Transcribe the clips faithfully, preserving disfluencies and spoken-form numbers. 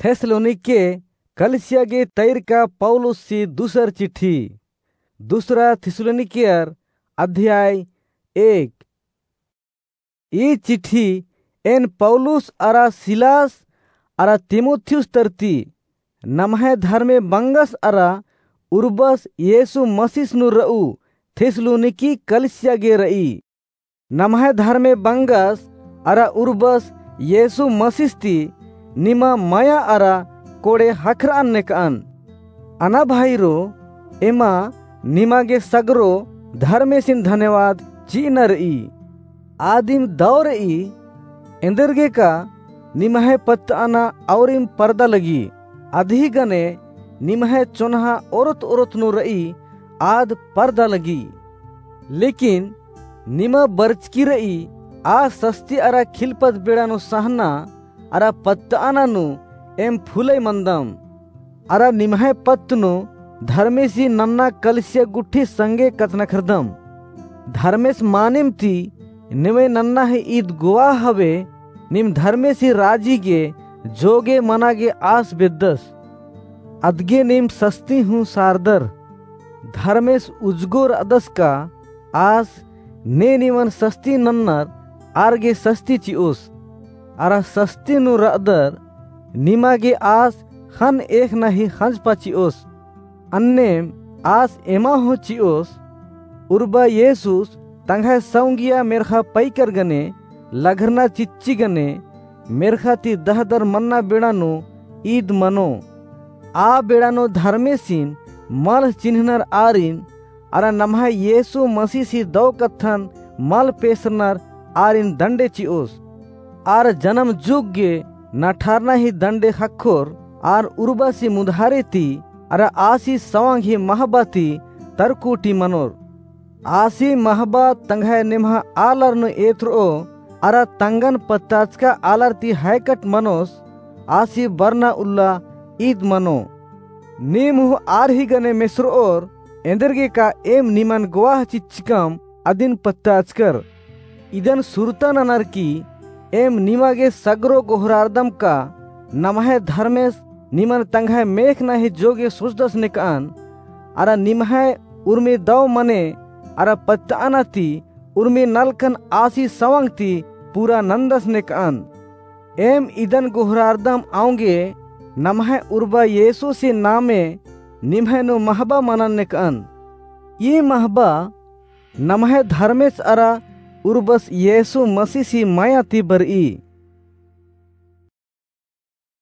थेस्सलोनिके कलिसिया गे तैरका पौलुस सी दूसर चिट्ठी। दूसरा थिस्सलुनीकियर अध्याय एक। ई चिट्ठी एन पौलुस अरा सिलास अरा तीमुथियुस तरती नम्है धर्मे बंगस अरा उर्बस येसु मसीस नू रऊ थिस्सलुनीकी कलिसिया गे रई। नम्है धर्मे बंगस अरा उर्बस येसु मसीस ती निमा मया अरा कोड़े ख़क्खरअन नेकअन। अना भाईरो, एमा निमा गे सगरो धर्मेसिन धन्यवाद चिअना रई। आदिम दौ रई, एन्देरगेका निम्है पत्तअना औरिम परदा लगी। अदही गने निम्है चोन्हा ओरोत ओरोत नू रई आद परदा लगी। लेकिन निमा बरचकी रई आ सस्ती अरा खिलपत बेड़ा नू सहना अरा पत्तअना नू एम फुलई मनदम। अरा निम्है पत्त नू धर्मेसी नन्ना कलिसिया गुट्ठी संगे कछनखरदम। धर्मेस मानिम ती नेवै नन्ना ही ईद गोवाह हवे, नीम धर्मेसी राजी गे जोगे मना गे आस बेद्दस। अदगे नीम सस्ती हूँ सारदर। धर्मेस उजगो रअदस का आस ने निमन सस्ती नन्नर आर गे सस्ती चिओस। अरा सस्ती नू रअदर निमा गे आस ख़न्न एख़ना ही ख़ंजपा चिओस। अन्नेम आस एमा हूँ चिओस, उर्बा येसुस तंग्है सौंगिया मेर्ख़ा पैकर गने, लघरना चिच्ची गने, मेर्ख़ा ती दहदर मन्ना बेड़ा नू ईद मनो। आ बेड़ा नू धर्मेसिन मल चिन्हनर आरिन, अरा नम्है येसु मसीसी दौ कत्थन मल पेसरनर आरिन दंडे चिओस। आर जनम जुग गे नठारना ही दंडे ख़क्खोर, आर उर्बासी मुधारे ती, अरा आसी सवांग ही महबा ती तरकुटी मनोर। आसी महबा तंग्है नेम्हा आलर नू एथरओ, अरा तंगन पत्ताचका आलर ती हैकट मनोस, आसी बरना उल्ला ईद मनो। नीम हूँ आर ही गने मेसरओर, एन्देरगेका एम निमन गोवाह चिच्चकम अदिन पत्ताचकर। इदन सुरता ननर की एम निमा गे सगरो गोहरारदम का नम्है धर्मेस निमन तंग्है मेख़ना ही जोगे सोचदस नेकअन, अरा निम्है उर्मी दौ मने अरा पत्तअना ती उर्मी नलखन आसी सवंग ती पूरा नन्दस नेकअन। एम इदन गोहरारदम औंगे नम्है उर्बा येसुसी नामे निम्है नू महबा मनन नेकअन। ई महबा नम्है धर्मेस अरा उर्बस येसु मसीसी मया ती बरई।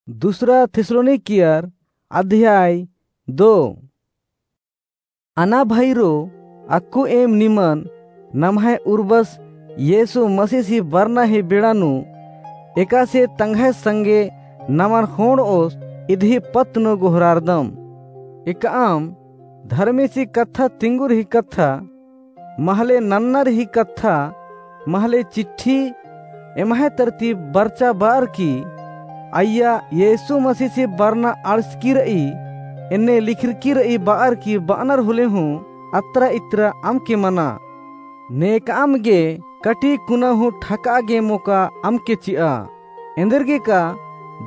दूसरा थिस्सलुनीकियर अध्याय दो। अना भइरो, अक्कु एम निमन नम्है उर्बस येसु मसीसी बरना ही बेड़ा नू एकासे तंग्है संगे नमन ख़ोंड़ओस इदही पत्त नू गोहरारदम। एकअम धर्मेसी कत्था तिंगुर ही कत्था महले नन्नर ही कत्था, महले चिट्ठी एम्है तरती बरचा बार की, अइय्या येसु मसीसी बरना अंड़सकी रई, एन्ने लिखरकी रई बार की बअनर होले हूँ अत्रा इत्रा अमके मना। नेकअम गे कटी कुना हूँ ठकआ गे मोका अमके चिआ। एन्देरगेका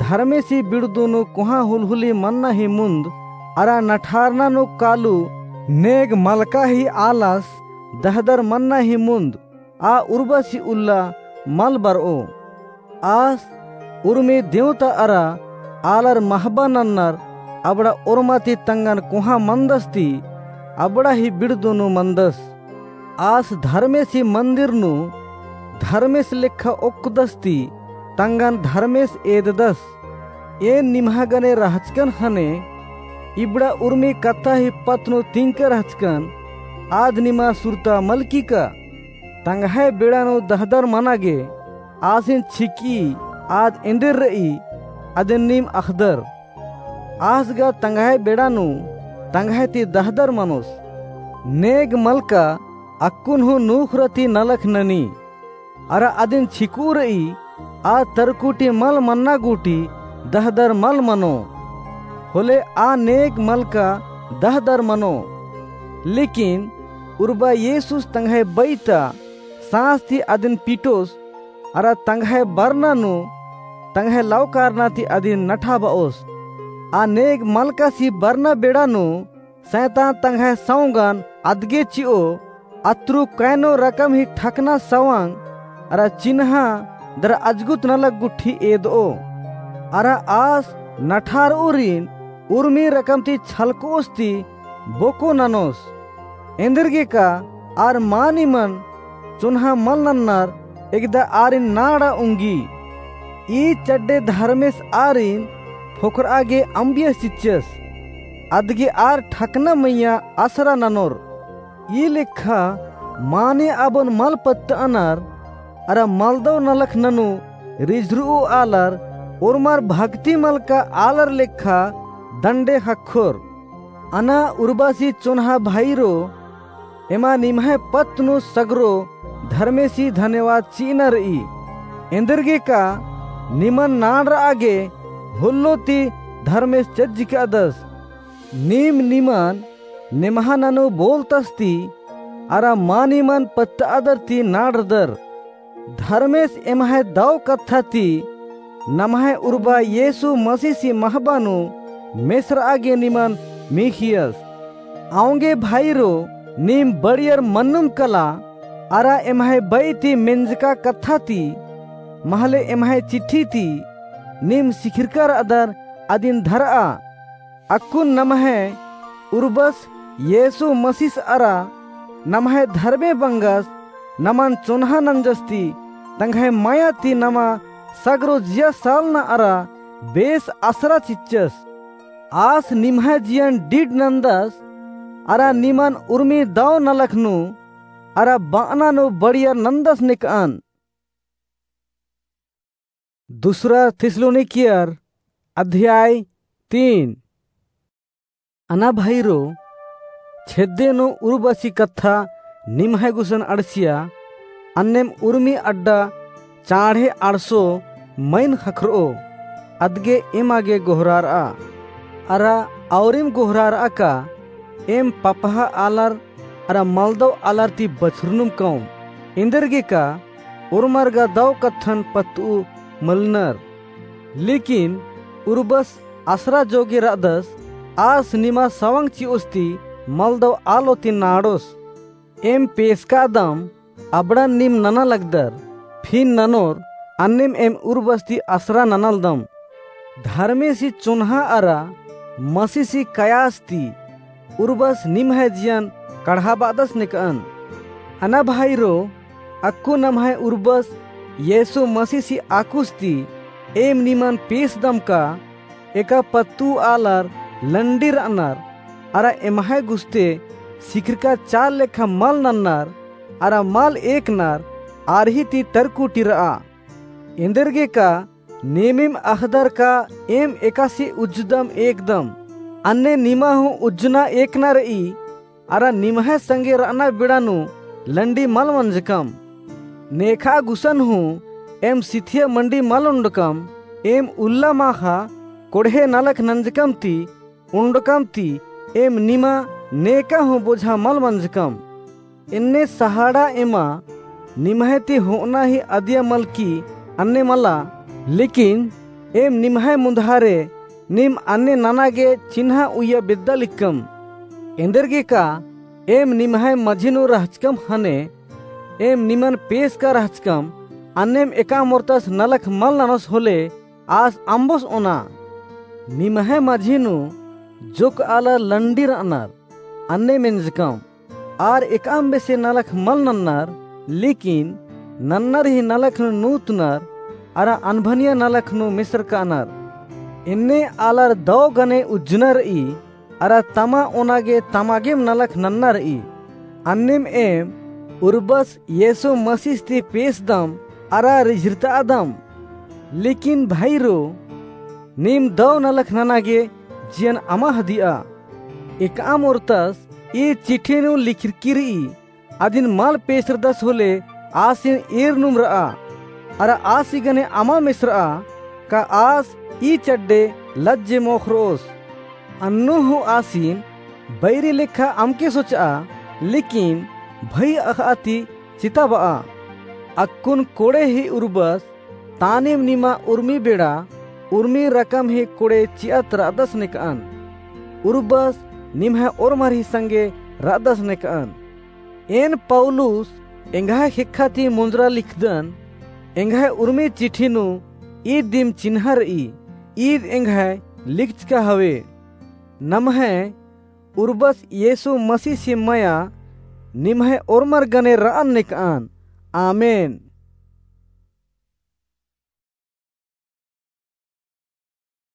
धर्मेसी बिड़दू नू कोहाँ हुलहुली मन्ना ही मुन्द, अरा नठारना नू कालू नेग मलका ही आलस दहदर मन्ना ही मुन्द, आ उर्बासी उल्ला मल बरओ। आस उर्मी देवता अरा आलर महबा नन्नर अबड़ा ओर्मा ती तंगन कोहाँ मन्दस ती अबड़ा ही बिड़दू नू मन्दस। आस धर्मेसी मन्दिर नू धर्मेस लेखा ओक्कदस ती तंगन धर्मेस एददस। एन निम्हा गने रहचकन ख़ने इबड़ा उर्मी कत्था ही पत्त नू तिंका रहचकन, आद निमा सुरता मलकी का? तंग्है बेड़ा नू दहदर मना गे आसिन छिकई, आद एन्देर रई अदिन नीम अख़दर। आस गा तंग्है बेड़ा नू तंग्है ती दहदर मनोस। नेग मलका अक्कुन हूँ नूखरा ती नलख ननी। अरा अदिन छिकऊ रई, आ तरकुटी मल मन्ना गूटी दहदर मल मनो। होले आ नेग मलका दहदर मनो। लेकिन उर्बा येसुस तंग्है बई ता साँस ती अदिन पिटोस, अरा तंग्है बरना नू तंग्है लव कारना ती अदिन नठा बओस। आ नेग मलकासी बरना बेड़ा नू सैतान तंग्है सौंगन अदगे चिओ, अतरु कैनो रकम ही ठकना सवंग अरा चिन्हा दरा अजगुत नलख गुट्ठी एदओ। अरा आस नठारउरिन उर्मी रकम ती छलकओस ती बोको ननोस। एन्देरगेका आर मानिमन चोन्हा मल नन्नर, एकदा आरिन नाड़ा उंगी। ई चड्डे धर्मेस आरिन फोकरआ गे अम्बियस चिच्चस। अदगे आर ठकना मइय्याँ असरा ननोर। ई लेखा माने अबोन मल पत्तअनर, अरा मलदव नलख ननू रिझरऊ आलर, ओर्मर भक्ति मलका आलर लेखा दंडे ख़क्खोर। अना उर्बसी चोन्हा भाईरो, एमा निम्है पत्त नू सगरो धर्मेसी धन्यवाद चिअना रई। एन्देरगेका निमन नाड़रआ गे होल्लो ती धर्मेस चज्जिकादस। नीम निमन नेम्हा ननू बोलतस ती, अरा मानिमन पत्तअदर ती नाड़रदर। धर्मेस एम्है दव कत्था ती नम्है उर्बा येसु मसीसी महबा नू मेसरआ गे निमन मीख़ियस। औंगे भाईरो, नीम बड़ियर मन्नुम कला, अरा एम्है बई ती मेंजका कत्था ती, महले एम्है चिट्ठी ती, नीम सिखिरका रअदर अदिन धरआ। अक्कुन नम्है उर्बस येसु मसीस अरा नम्है धर्मे बंगस नमन चोन्हा नंजस ती, तंग्है मया ती नमा सगरो जिया सालना अरा बेस असरा चिच्चस। आस निम्है जियन डिड नंदस, अरा निमन उर्मी दव नलख नू, अरा बअना नू बड़ियर नंदस नेकअन। दूसरा थिस्सलुनीकियर अध्याय तीन। अना भाईरो, छेद्दे नू उर्बसी कत्था निम्है गुसन अंड़सिया, अन्नेम उर्मी अड्डा चाँड़े अंड़सो मइन ख़क्खरओ, अदगे एमा गे गोहरारआ। अरा औरिम गोहरारआ का एम पपहा आलर अरा मलदव आलर ती बछरनुम कौम। एन्देरगेका ओर्मर गा दव कत्थन पत्तऊ मलनर। लेकिन उर्बस असरा जोगे रअदस, आस निमा सवंग चिओस ती मलदव आलो ती नाड़ोस। एम पेसकादम, अबड़न नीम नना लगदर, फिन ननोर, अन्नेम एम उर्बस ती असरा ननालदम। धर्मेसी चोन्हा अरा मसीसी कयास ती उर्बस निम्है जियन कड़हाबादस नेकअन। अना भाईरो, अक्कु नम्है उर्बस येसु मसीसी आकुस ती एम निमन पेसदम का एका पत्तू आलर लंडी रअनर, अरा एम्है गुस्ते सिखिरका चार लेखा मल नन्नर, अरा मल एकनर, आर ही ती तरकुटी रआ। एन्देरगेका नेमिम अख़दर का एम एकासे उज्जुदम एकदम, अन्ने निमा हूँ उज्जना एकना रई, अरा निम्है संगे रअना बेड़ा नू लंडी मल मंजकम। नेखा गुसन हूँ एम सिथिया मंडी मल उंडकम, एम उल्ला माखा कोड़हे नलख नंजकम ती उंडकम ती एम निमा नेका हूँ बोझा मल मंजकम। एन्ने सहाड़ा एमा निम्है ती होअना ही अदिया मलकी अन्ने मला, लेकिन एम निम्है मुन्धारे नीम अन्ने नना गे चिन्हा उइया बेद्दा लिक्कम। एन्देरगेका एम निम्है मझी नू रहचकम ख़ने एम निमन पेसका रहचकम, अन्नेम एकाम ओर्तस नलख मल ननोस होले आस अम्बोस ओना। निम्है मझी नू जोक्क आलर लंडी रअनर, अन्ने मेंजकम। आर एकअम बेसे नलख मल नन्नर, लेकिन नन्नर ही नलख नू नूतनर, अरा अनभनिया नलख नू मेसरकानर। एन्ने आलर दौ गने उज्जना रई, अरा तमा ओना गे तमा गेम नलख नन्ना रई। अन्नेम एम उर्बस येसु मसीह ती पेसदम अरा रिझिरतादम। लेकिन भाईरो, नीम दौ नलख नना गे जियन अमा हदिया। एकअम ओर्तस ई चिट्ठी नू लिखरकी रई, अदिन मल पेसरदस होले आसिन एरनुम रआ, अरा आसी गने अमा मेसरआ का आस ई चड्डे लज्जे मोखरोस। अन्नु हूँ आसिन बैरी लेखा अमके सोचआ, लेकिन भई अख़आ ती चिताबआ। अक्कुन कोड़े ही उर्बस तानिम निमा उर्मी बेड़ा उर्मी रकम ही कोड़े चिअत रअदस नेकअन। उर्बस निम्है ओर्मर ही संगे रअदस नेकअन। एन पौलुस एंग्है ख़ेक्खा ती मुंजरा लिखदन। एंग्है उर्मी चिट्ठी नू ईद दिम चिन्हा रई, ईद एंग्है लिखचका हवे। नम्है उर्बस येसु मसीह ही मया निम्है ओर्मर गने रअन नेकअन। आमेन।